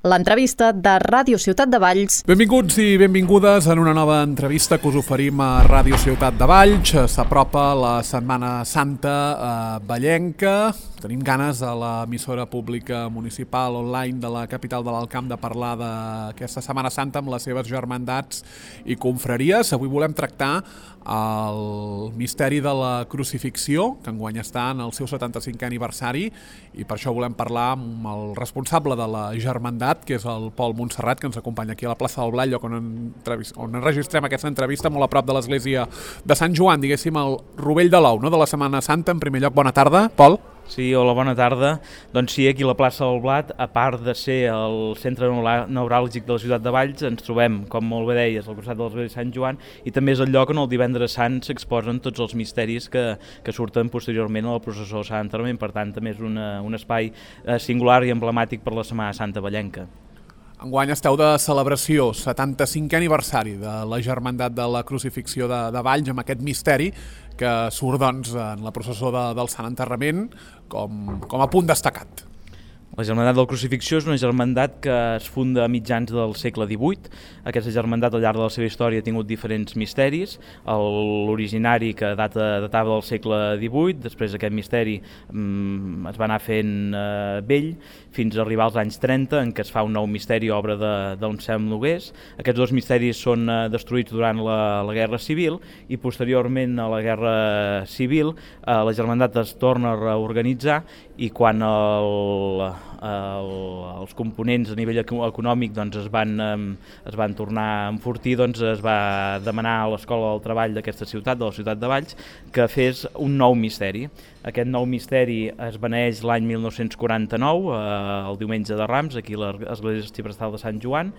l'entrevista de Ràdio Ciutat de Valls. Benvinguts i benvingudes en una nova entrevista que us oferim a Ràdio Ciutat de Valls. S'apropa la Setmana Santa vallenca. Tenim ganes a l'emissora pública municipal online de la capital de l'Alt Camp de parlar d'aquesta Setmana Santa amb les seves germandats i confraries. Avui volem tractar el misteri de la crucifixió, que enguany està en el seu 75è aniversari, i per això volem parlar amb el responsable de la germandat, que és el Pol Montserrat, que ens acompanya aquí a la plaça del Blat, lloc on enregistrem aquesta entrevista, molt a prop de l'església de Sant Joan, diguéssim, el rovell de l'ou, no?, de la Setmana Santa. En primer lloc, bona tarda, Pol. Sí, hola, bona tarda. Doncs sí, aquí a la plaça del Blat, a part de ser el centre neuràlgic de la ciutat de Valls, ens trobem, com molt bé deies, al costat de l'església de Sant Joan, i també és el lloc on el divendres sant s'exposen tots els misteris que surten posteriorment a la processó de Sant Enterrament. Per tant, també és un espai singular i emblemàtic per la Setmana Santa vallenca. Enguany esteu de celebració, 75è aniversari de la Germandat de la Crucifixió de Valls, amb aquest misteri que surt doncs, en la processó del Sant Enterrament com a punt destacat. La Germandat de la Crucifixió és una germandat que es funda a mitjans del segle XVIII. Aquesta germandat al llarg de la seva història ha tingut diferents misteris. L'originari que datava del segle XVIII, després aquest misteri es va anar fent vell, fins a arribar als anys 30, en què es fa un nou misteri, obra d'Anselm Nogués. Aquests dos misteris són destruïts durant la Guerra Civil, i posteriorment a la Guerra Civil la germandat es torna a reorganitzar, i quan els components a nivell econòmic doncs, es van tornar a enfortir, doncs, es va demanar a l'Escola del Treball d'aquesta ciutat, de la ciutat de Valls, que fes un nou misteri. Aquest nou misteri es beneeix l'any 1949, el diumenge de Rams, aquí a l'església arxiprestal de Sant Joan.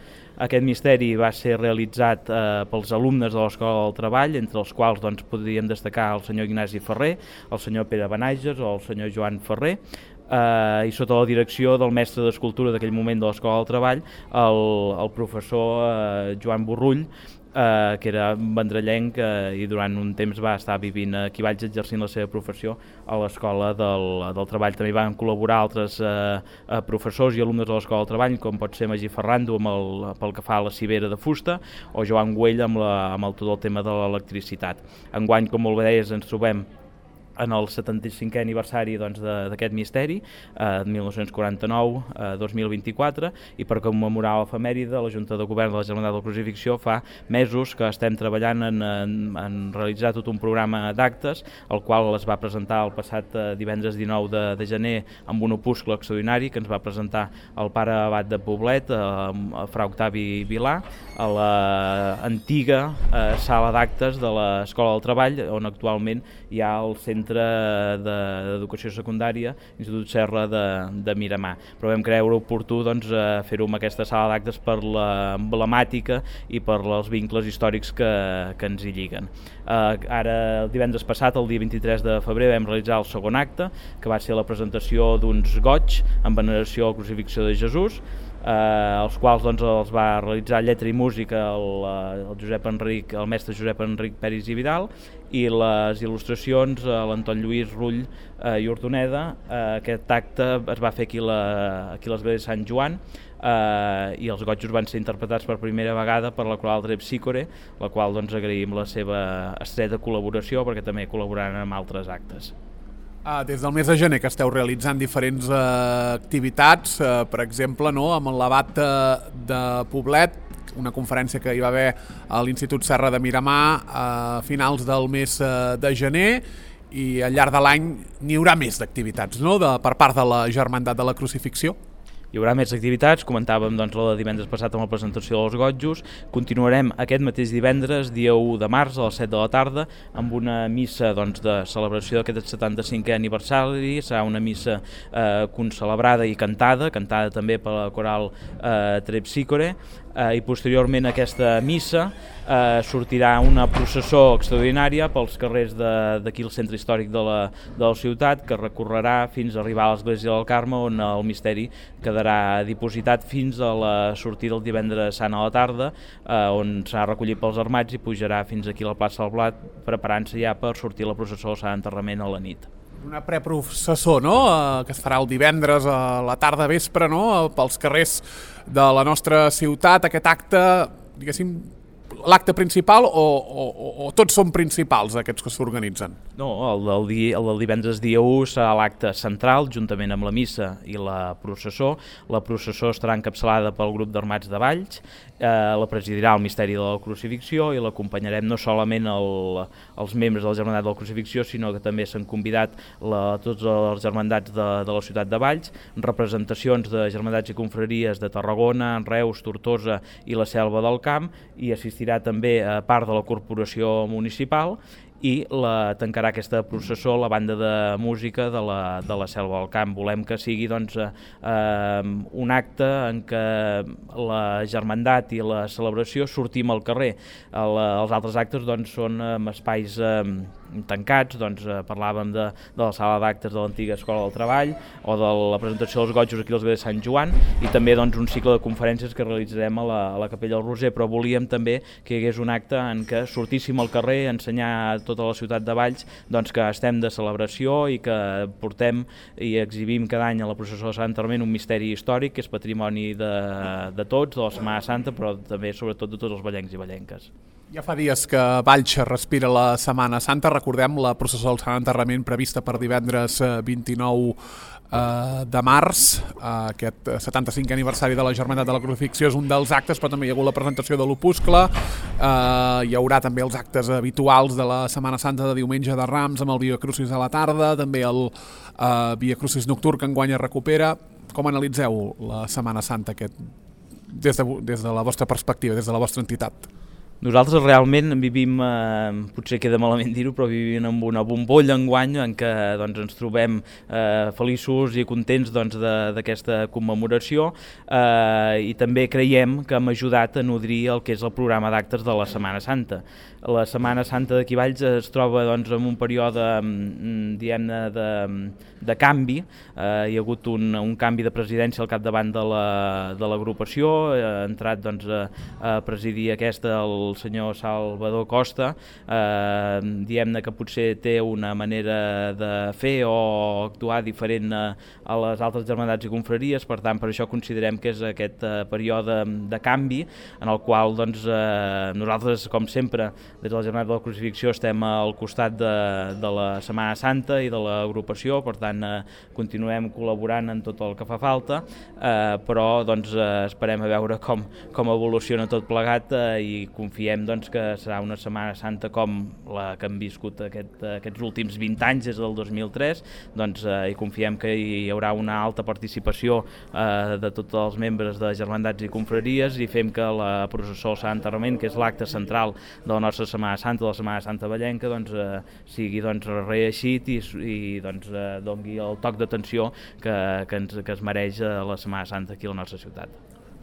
Aquest misteri va ser realitzat pels alumnes de l'Escola del Treball, entre els quals doncs, podríem destacar el senyor Ignasi Ferrer, el senyor Pere Benages o el senyor Joan Ferrer, i sota la direcció del mestre d'escultura d'aquell moment de l'Escola del Treball, el professor Joan Borrull, que era vendrellenc i durant un temps va estar vivint aquí a Valls exercint la seva professió a l'Escola del Treball. També van col·laborar altres professors i alumnes de l'Escola del Treball, com pot ser Magí Ferrando pel que fa a la civera de fusta, o Joan Güell amb tot el tema de l'electricitat. Enguany, com molt bé deies, ens trobem en el 75è aniversari d'aquest misteri, 1949-2024, i per commemorar l'efemèride, la Junta de Govern de la Germandat de la Crucifixió fa mesos que estem treballant en realitzar tot un programa d'actes, el qual es va presentar el passat divendres 19 de gener amb un opuscle extraordinari que ens va presentar el pare abat de Poblet, fra Octavi Vilà, a l'antiga sala d'actes de l'Escola del Treball, on actualment hi ha el Centre d'Educació Secundària, Institut Serra de Miramar. Però vam creure oportú fer-ho amb aquesta sala d'actes per l'emblemàtica i per els vincles històrics que ens hi lliguen. Ara, el divendres passat, el dia 23 de febrer, vam realitzar el segon acte, que va ser la presentació d'uns goigs en veneració a la crucifixió de Jesús, els quals els va realitzar lletra i música el mestre Josep Enric Peris i Vidal, i les il·lustracions l'Anton Lluís Rull i Ordoneda. Aquest acte es va fer aquí a l'església de Sant Joan, i els gotjos van ser interpretats per primera vegada per la coral Trepsícore, la qual agraïm la seva estreta col·laboració, perquè també col·laboraran amb altres actes. Des del mes de gener que esteu realitzant diferents activitats, per exemple, amb l'abat de Poblet, una conferència que hi va haver a l'Institut Serra de Miramar a finals del mes de gener, i al llarg de l'any n'hi haurà més d'activitats, no?, per part de la Germandat de la Crucifixió. Hi haurà més activitats, comentàvem la de divendres passat amb la presentació dels gotjos. Continuarem aquest mateix divendres, dia 1 de març, a les 7 de la tarda, amb una missa de celebració d'aquest 75è aniversari. Serà una missa concelebrada i cantada també per la coral Trepsícore, i posteriorment a aquesta missa sortirà una processó extraordinària pels carrers d'aquí al centre històric de la ciutat, que recorrerà fins a arribar a l'església del Carme, on el misteri quedarà dipositat fins a la sortida del divendres sant a la tarda, on serà recollit pels armats i pujarà fins aquí a la plaça del Blat, preparant-se ja per sortir la processó del Sant Enterrament a la nit. Una preprocessó, no?, que es farà el divendres a la tarda vespre, no?, pels carrers de la nostra ciutat. Aquest acte, diguéssim, l'acte principal o tots són principals aquests que s'organitzen? No, el del divendres dia 1 serà l'acte central, juntament amb la missa i la processó. La processó estarà encapçalada pel grup d'Armats de Valls, la presidirà el Misteri de la Crucifixió i l'acompanyarem no solament els membres de la Germandat de la Crucifixió, sinó que també s'han convidat tots els germandats de la ciutat de Valls, representacions de germandats i confraries de Tarragona, Reus, Tortosa i la Selva del Camp, i assistirà també a part de la corporació municipal, i tancarà aquesta processó la banda de música de la Selva del Camp. Volem que sigui un acte en què la germandat i la celebració sortim al carrer. Els altres actes són en espais tancats, parlàvem de la sala d'actes de l'antiga Escola del Treball o de la presentació dels gotjos aquí als Grés de Sant Joan, i també un cicle de conferències que realitzarem a la Capella del Roser, però volíem també que hi hagués un acte en què sortíssim al carrer a ensenyar a tota la ciutat de Valls que estem de celebració i que portem i exhibim cada any a la processó de Sant Arment un misteri històric que és patrimoni de tots, de la Setmana Santa, però també sobretot de tots els vallencs i vallenques. Ja fa dies que Valls respira la Setmana Santa. Recordem la processó del Sant Enterrament prevista per divendres 29 de març. Aquest 75è aniversari de la Germandat de la Crucifixió és un dels actes, però també hi ha hagut la presentació de l'opuscle. Hi haurà també els actes habituals de la Setmana Santa de diumenge de Rams amb el Via Crucis a la tarda, també el Via Crucis nocturn que enguany es recupera. Com analitzeu la Setmana Santa des de la vostra perspectiva, des de la vostra entitat? Nosaltres realment vivim, potser queda malament dir-ho, però vivim en una bombolla enguany en què ens trobem feliços i contents d'aquesta commemoració, i també creiem que hem ajudat a nodrir el que és el programa d'actes de la Setmana Santa. La Setmana Santa d'aquí Valls es troba en un període de canvi. Hi ha hagut un canvi de presidència al capdavant de l'agrupació. Ha entrat a presidir aquesta el senyor Salvador Costa. Diem que potser té una manera de fer o actuar diferent a les altres germandats i confraries, per tant per això considerem que és aquest període de canvi en el qual nosaltres, com sempre, des de la Germandat de la Crucifixió estem al costat de la Setmana Santa i de l'agrupació, per tant continuem col·laborant en tot el que fa falta, però esperem a veure com evoluciona tot plegat, i confiem que serà una Setmana Santa com la que hem viscut aquests últims 20 anys, des del 2003, i confiem que hi haurà una alta participació de tots els membres de germandats i confraries, i fem que la processó del Sant Enterrament, que és l'acte central de la nostra Setmana Santa, de la Setmana Santa vallenca, sigui reeixit i doni el toc d'atenció que es mereix la Setmana Santa aquí a la nostra ciutat.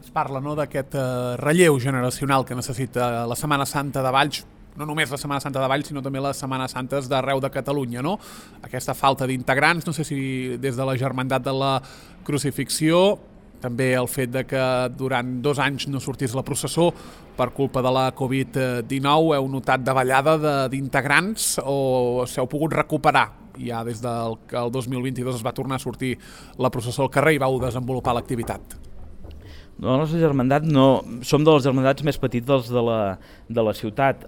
Es parla d'aquest relleu generacional que necessita la Setmana Santa de Valls, no només la Setmana Santa de Valls, sinó també les Setmanes Santes d'arreu de Catalunya, no? Aquesta falta d'integrants, no sé si des de la Germandat de la Crucifixió, també el fet que durant 2 anys no sortís la processó per culpa de la Covid-19, heu notat davallada d'integrants o s'heu pogut recuperar ja des que el 2022 es va tornar a sortir la processó al carrer i vau desenvolupar l'activitat? La nostra germandat som de les germandats més petites de la ciutat,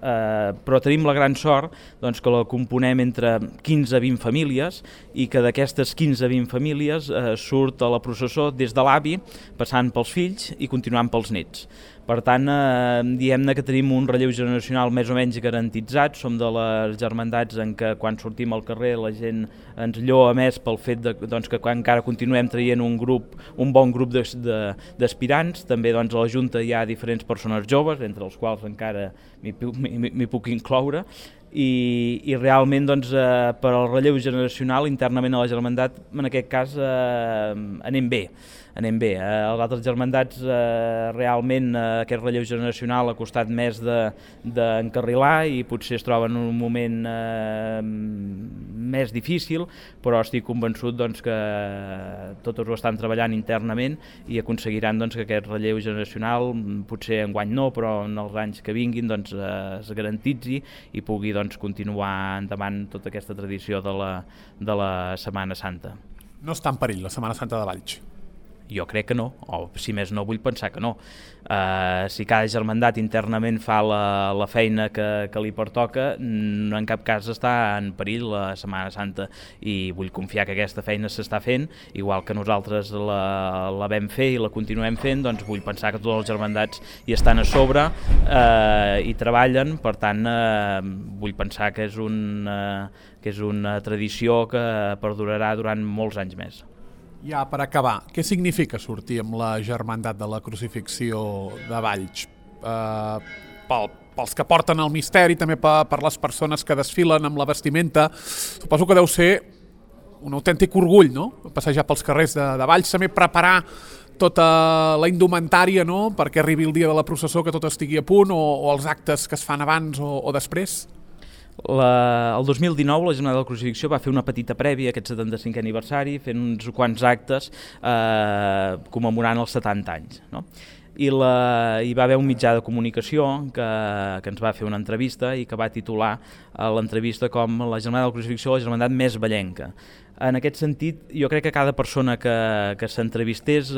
però tenim la gran sort que la componem entre 15 a 20 famílies i que d'aquestes 15 a 20 famílies surt a la processó des de l'avi, passant pels fills i continuant pels nets. Per tant, diem-ne que tenim un relleu generacional més o menys garantitzat. Som de les germandats en què quan sortim al carrer la gent ens lloa més pel fet que encara continuem traient un bon grup d'aspirants. També a la Junta hi ha diferents persones joves, entre els quals encara m'hi puc incloure, i realment per al relleu generacional internament a la germandat en aquest cas anem bé. Els altres germandats realment aquest relleu generacional ha costat més d'encarrilar i potser es troben en un moment més difícil, però estic convençut que tots ho estan treballant internament i aconseguiran que aquest relleu generacional, potser enguany no, però en els anys que vinguin es garantitzi i pugui doncs, continuar endavant tota aquesta tradició de la Setmana Santa. No està en perill la Setmana Santa de Valls? Jo crec que no, o si més no vull pensar que no. Si cada germandat internament fa la feina que li pertoca, no en cap cas està en perill la Setmana Santa, i vull confiar que aquesta feina s'està fent, igual que nosaltres la vam fer i la continuem fent, doncs vull pensar que tots els germandats hi estan a sobre i treballen, per tant vull pensar que és una tradició que perdurarà durant molts anys més. Ja per acabar, què significa sortir amb la Germandat de la Crucifixió de Valls? Pels que porten el misteri, també per les persones que desfilen amb la vestimenta, suposo que deu ser un autèntic orgull, no? Passejar pels carrers de Valls, també preparar tota la indumentària, no? Perquè arribi el dia de la processó, que tot estigui a punt, o els actes que es fan abans o després? El 2019 la Jornada de la Crucifixió va fer una petita prèvia a aquest 75è aniversari, fent uns quants actes commemorant els 70 anys, no? I hi va haver un mitjà de comunicació que ens va fer una entrevista i que va titular l'entrevista com la Jornada de la Crucifixió, la germandat més vallenca. En aquest sentit, jo crec que cada persona que s'entrevistés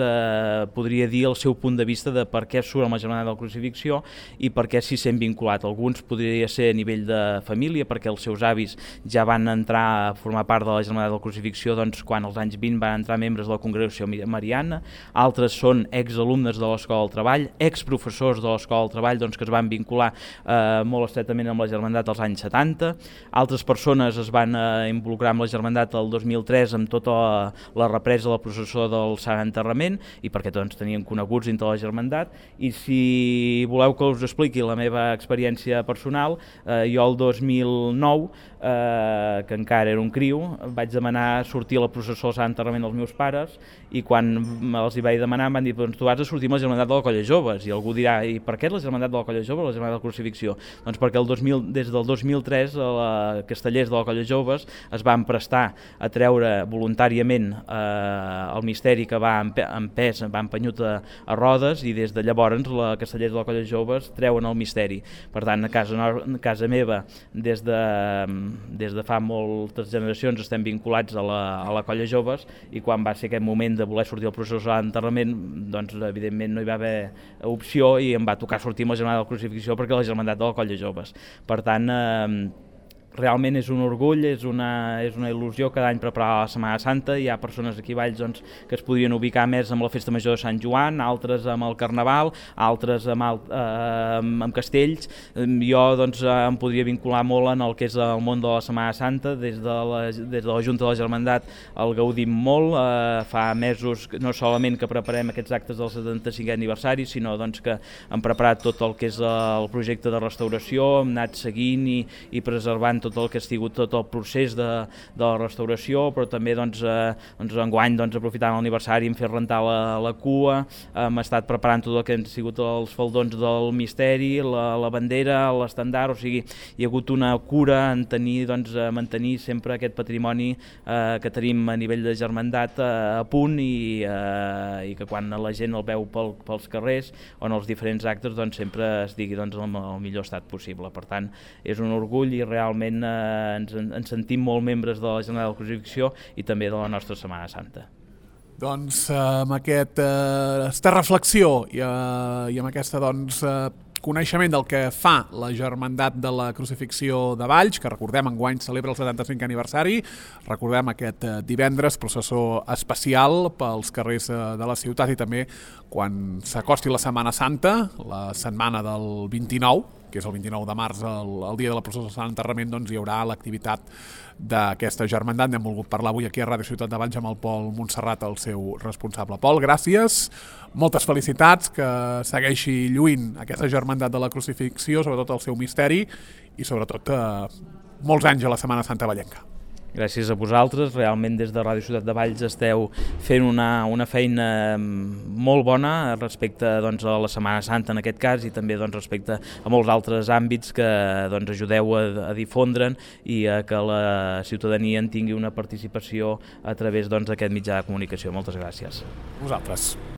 podria dir el seu punt de vista de per què surt amb la Jornada de la Crucifixió i per què s'hi sent vinculat. Alguns podria ser a nivell de família, perquè els seus avis ja van entrar a formar part de la Jornada de la Crucifixió doncs, quan als anys 20 van entrar membres de la Congregació Mariana. Altres són exalumnes de l'Escola del Treball, exprofessors de l'Escola del Treball doncs, que es van vincular molt estretament amb la Germandat als anys 70. Altres persones es van involucrar amb la Germandat el 2003 amb tota la represa de la processó del Sant Enterrament, i perquè tots tenien coneguts dintre la Germandat. I si voleu que us expliqui la meva experiència personal, jo el 2009, que encara era un criu, vaig demanar sortir a la processó del Sant Enterrament dels meus pares, i quan els hi vaig demanar em van dir, doncs tu has de sortir amb la Germandat de la Colla Joves. I algú dirà, i per què la Germandat de la Colla Joves o la Germandat de la Crucifixió? Doncs perquè des del 2003 castellers de la Colla Joves es van prestar a treure voluntàriament el misteri que va empès, va empenyut a rodes, i des de llavors els castellers de la Colla Joves treuen el misteri. Per tant, a casa meva, des de fa moltes generacions estem vinculats a la Colla Joves, i quan va ser aquest moment de voler sortir al procés d'enterrament, doncs evidentment no hi va haver opció i em va tocar sortir amb la Jornada de la Crucifixió perquè la Germandat de la Colla Joves. Per tant, realment és un orgull, és una il·lusió cada any preparar la Setmana Santa. Hi ha persones aquí a Valls doncs, que es podrien ubicar més amb la Festa Major de Sant Joan, altres amb el Carnaval, altres amb castells. Jo doncs, em podria vincular molt en el que és el món de la Setmana Santa. Des de la Junta de la Germandat el gaudim molt. Fa mesos no solament que preparem aquests actes del 75è aniversari, sinó doncs, que hem preparat tot el que és el projecte de restauració, hem anat seguint i preservant tot el que ha sigut tot el procés de la restauració, però també enguany aprofitant l'aniversari hem fet rentar la cua, hem estat preparant tot el que han sigut els faldons del misteri, la bandera, l'estendard, o sigui, hi ha hagut una cura en mantenir sempre aquest patrimoni que tenim a nivell de germandat a punt, i que quan la gent el veu pels carrers o en els diferents actes sempre estigui en el millor estat possible. Per tant, és un orgull i realment ens sentim molt membres de la Jornada de la Crucifixió i també de la nostra Setmana Santa. Doncs amb aquesta reflexió i amb aquesta coneixement del que fa la Germandat de la Crucifixió de Valls, que recordem enguany celebra el 75è aniversari, recordem aquest divendres processó especial pels carrers de la ciutat, i també quan s'acosti la Setmana Santa, la setmana del 29, que és el 29 de març, el dia de la processó del Sant Enterrament, doncs hi haurà l'activitat d'aquesta germandat. N'hem volgut parlar avui aquí a Ràdio Ciutat de Valls amb el Pol Montserrat, el seu responsable. Pol, gràcies, moltes felicitats, que segueixi lluint aquesta germandat de la Crucifixió, sobretot el seu misteri, i sobretot molts anys a la Setmana Santa vallenca. Gràcies a vosaltres, realment des de Ràdio Ciutat de Valls esteu fent una feina molt bona respecte a la Setmana Santa en aquest cas, i també respecte a molts altres àmbits que ajudeu a difondre'n i a que la ciutadania en tingui una participació a través d'aquest mitjà de comunicació. Moltes gràcies. Vosaltres.